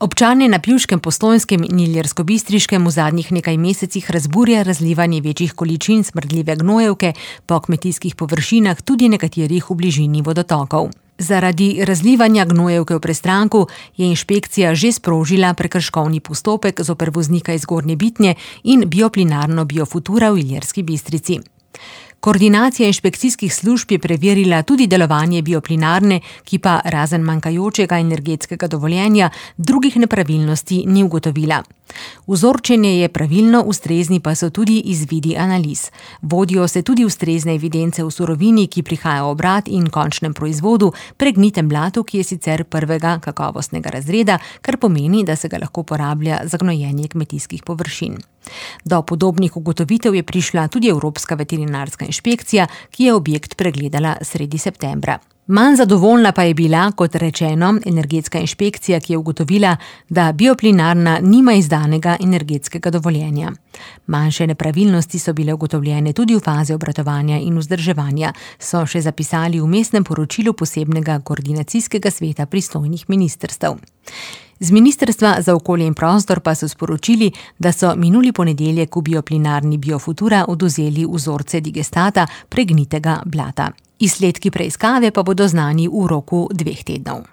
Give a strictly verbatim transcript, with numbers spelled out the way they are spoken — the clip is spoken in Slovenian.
Občane na Pivškem, Postojnskem in Ilirskobistriškem v zadnjih nekaj mesecih razburja razlivanje večjih količin smrdljive gnojevke po kmetijskih površinah, tudi nekaterih v bližini vodotokov. Zaradi razlivanja gnojevke v Prestranku je inšpekcija že sprožila prekrškovni postopek zoper voznika iz Zgornje Bitnje in bioplinarno Biofutura v Ilirski Bistrici. Koordinacija inšpekcijskih služb je preverila tudi delovanje bioplinarne, ki pa razen manjkajočega energetskega dovoljenja drugih nepravilnosti ni ugotovila. Vzorčenje je pravilno, ustrezni pa so tudi izvidi analiz. Vodijo se tudi ustrezne evidence v surovini, ki prihaja v obrat, in končnem proizvodu, pregnitem blatu, ki je sicer prvega kakovostnega razreda, kar pomeni, da se ga lahko uporablja za gnojenje kmetijskih površin. Do podobnih ugotovitev je prišla tudi Evropska veterinarska inšpekcija, ki je objekt pregledala sredi septembra. Manj zadovoljna pa je bila, kot rečeno, energetska inšpekcija, ki je ugotovila, da bioplinarna nima izdanega energetskega dovoljenja. Manjše nepravilnosti so bile ugotovljene tudi v fazi obratovanja in vzdrževanja, so še zapisali v vmesnem poročilu posebnega koordinacijskega sveta pristojnih ministrstev. Z Ministrstva za okolje in prostor pa so sporočili, da so minuli ponedeljek v bioplinarni Biofutura odvzeli vzorce digestata pregnitega blata. Izsledki preiskave pa bodo znani v roku dveh tednov.